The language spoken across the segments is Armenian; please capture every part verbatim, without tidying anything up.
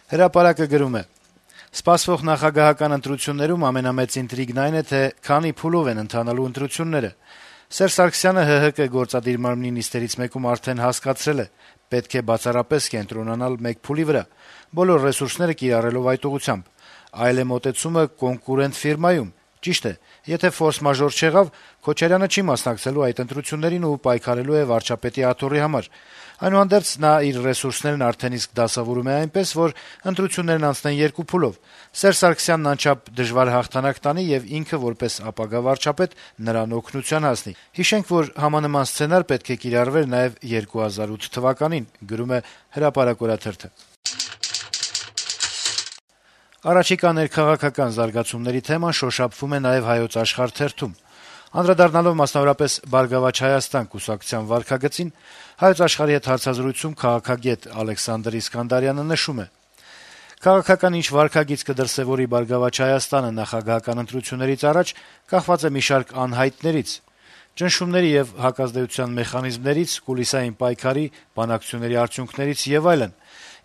Հրապարակը գրում է. - Սպասվող նախագահական ընտրություններում ամենամեծ ինտրիգն այն է, թե քանի փուլով են ընթանալու ընտրությունները։ Սերժ Սարգսյանը ՀՀԿ գործադիր մարմնի նիստերից մեկում արդեն հասկացրել է. պետք է բացառապես կենտրոնանալ մեկ փուլի վրա, բոլոր ռեսուրսները կիրառելով այդ ուղղությամբ։ Այլ է մոտեցումը կոնկուրենտ ֆիրմայում։ Ճիշտ է, եթե ֆորս-մաժոր չեղավ, Քոչարյանը չի մասնակցելու այդ ընտրություններին ու պայքարելու է վարչապետի աթոռի համար։ Այնուհանդերձ նա իր ռեսուրսներն արդեն իսկ դասավորում է այնպես, որ ընտրություններն անցնեն երկու փուլով։ Սերժ Սարգսյանն անչափ դժվար հաղթանակ տանի եւ ինքը որպես ապագա վարչապետ նրան օգնության հասնի։ Հիշենք, որ համանման սցենար պետք է կիրառվեր նաեւ երկու հազար ութ թվականին, գրում է Հրապարակ օրաթերթը։ Առաջիկա ներքաղաքական զարգացումների թեման շոշափվում է նաեւ Հայոց Աշխարհ թերթում։ Անդրադառնալով մասնավորապես «Բարգավաճ Հայաստան» կուսակցության վարքագծին, Հայոց Աշխարհի հետ հարցազրույցում քաղաքագետ Ալեքսանդր Իսկանդարյանը նշում է. - «Քաղաքական ինչ վարքագիծ կդրսեւորի «Բարգավաճ Հայաստանը» նախագահական ընտրություններից առաջ, կախված է մի շարք անհայտներից, ճնշումների եւ հակազդեցության մեխանիզմներից, կուլիսային պայքարի, բանակցությունների արդյունքներից եւ այլն։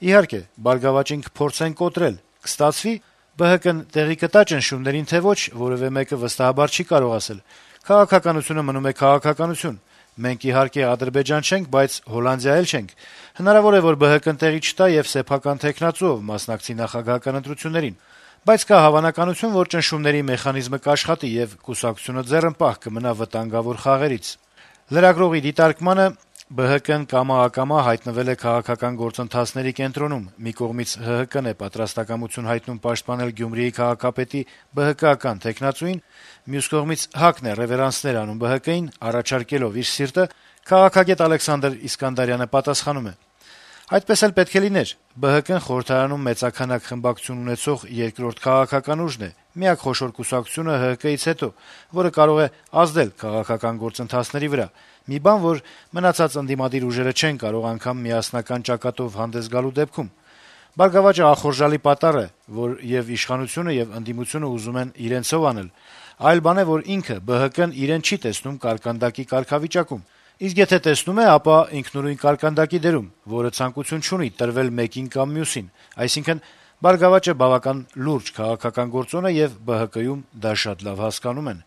Իհարկե, «Բարգավաճին» կփորձեն կոտրել, կստացվի, ԲՀԿ-ն տեղի կտա ճնշումներին, թե ոչ, որեւէ մեկը վստահաբար չի կարող ասել։ Քաղաքականությունը մնում է քաղաքականություն։ Մենք, իհարկե, Ադրբեջան չենք, բայց Հոլանդիա էլ չենք։ Հնարավոր է, որ ԲՀԿ-ն տեղի չտա եւ սեփական թեկնածուով մասնակցի նախագահական ընտրություններին։ Բայց կա հավանականություն, որ ճնշումների մեխանիզմը կաշխատի եւ կուսակցությունը ձեռնպահ կմնա վտանգավոր խաղերից»։ Լրագրողի դիտարկմանը ԲՀԿ-ն կամա-ակամա հայտնվել է քաղաքական գործընթացների կենտրոնում։ Մի կողմից ՀՀԿ-ն է պատրաստակամություն հայտնում պաշտպանել Գյումրիի քաղաքապետի ԲՀԿ-ական թեկնածուին, մյուս կողմից ՀԱԿ-ն է ռեվերանսներ անում ԲՀԿ-ին, առաջարկելով իր սիրտը, քաղաքագետ Ալեքսանդր Իսկանդարյանը պատասխանում է. - «Այդպես էլ պետք է լիներ։ ԲՀԿ-ն խորհրդարանում մեծաքանակ խմբակցություն ունեցող երկրորդ քաղաքական ուժն է, միակ խոշոր կուսակցությունը ՀՀԿ-ից հետո, որը կարող է ազդել քաղաքական գործընթացների վրա։ Մի բան, որ մնացած ընդդիմադիր ուժերը չեն կարող անգամ միասնական ճակատով հանդես գալու դեպքում։ Բարգավաճը ախորժալի պատառ է, որ եւ իշխանությունը, եւ ընդդիմությունը ուզում են իրենցով անել։ Այլ բան է, որ ինքը ԲՀԿ-ն իրեն չի տեսնում կարկանդակի կարգավիճակում։ Իսկ եթե տեսնում է, ապա ինքնուրույն կարկանդակի դերում, որը ցանկություն չունի տրվել մեկին կամ մյուսին։ Այսինքն, Բարգավաճը բավական լուրջ քաղաքական գործոն է եւ ԲՀԿ-ում դա շատ լավ հասկանում են»։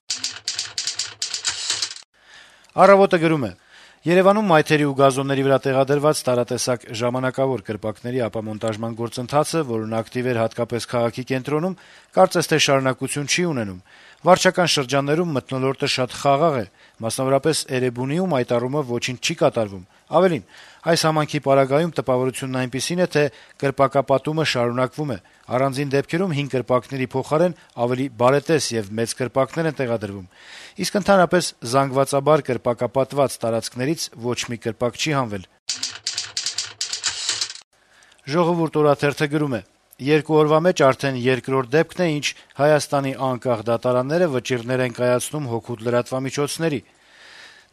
«Առավոտ»-ը գրում է. - «Երեւանում մայթերի ու գազոնների վրա տեղադրված տարատեսակ ժամանակավոր կրպակների ապամոնտաժման գործընթացը, որն ակտիվ էր հատկապես քաղաքի կենտրոնում, կարծես թե շարունակություն չի ունենում։ Վարչական շրջաններում մթնոլորտը շատ խաղաղ է, մասնավորապես Էրեբունիում այդ առումով ոչինչ չի կատարվում։ Ավելին, այս համանքի պարագայում տպավորությունն այնպիսին է, թե կրպակապատումը շարունակվում է։ Առանձին դեպքերում հին կրպակների փոխարեն ավելի բարետես եւ մեծ կրպակներ են տեղադրվում։ Իսկ ընդհանրապես զանգվածաբար կրպակապատված տարածքներից ոչ մի կրպակ չի հանվել»։ «Ժողովուրդ» օրաթերթը գրում է. - «Երկու օրվա մեջ արդեն երկրորդ դեպքն է, ինչ Հայաստանի անկախ դատարանները վճիռներ են կայացնում հօգուտ լրատվամիջոցների։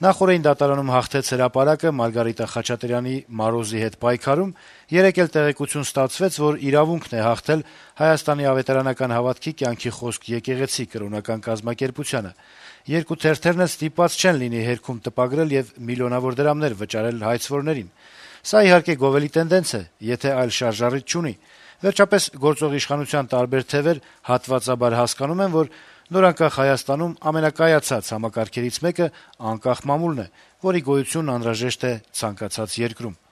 Նախօրեին դատարանում հաղթեց Հրապարակը Մարգարիտա Խաչատրյանի «Մարոզի» հետ պայքարում, երեկ էլ տեղեկություն ստացվեց, որ իրավունքն է հաղթել Հայաստանի ավետարանական հավատքի կյանքի խոսք եկեղեցի կրոնական կազմակերպությանը։ Երկու թերթերն էլ ստիպված չեն լինի հերքում տպագրել եւ միլիոնավոր դրամներ վճարել հայցվորներին։ Սա, իհարկե, գովելի տենդենց է, եթե այլ շարժառիթ չունի։ Վերջապես, գործող իշխանության տարբեր թեւեր հատվածաբար հասկանում են, որ նորանկախ Հայաստանում ամենակայացած համակարգերից մեկը անկախ մամուլն է, որի գոյությունն անհրաժեշտ է ցանկացած երկրում»։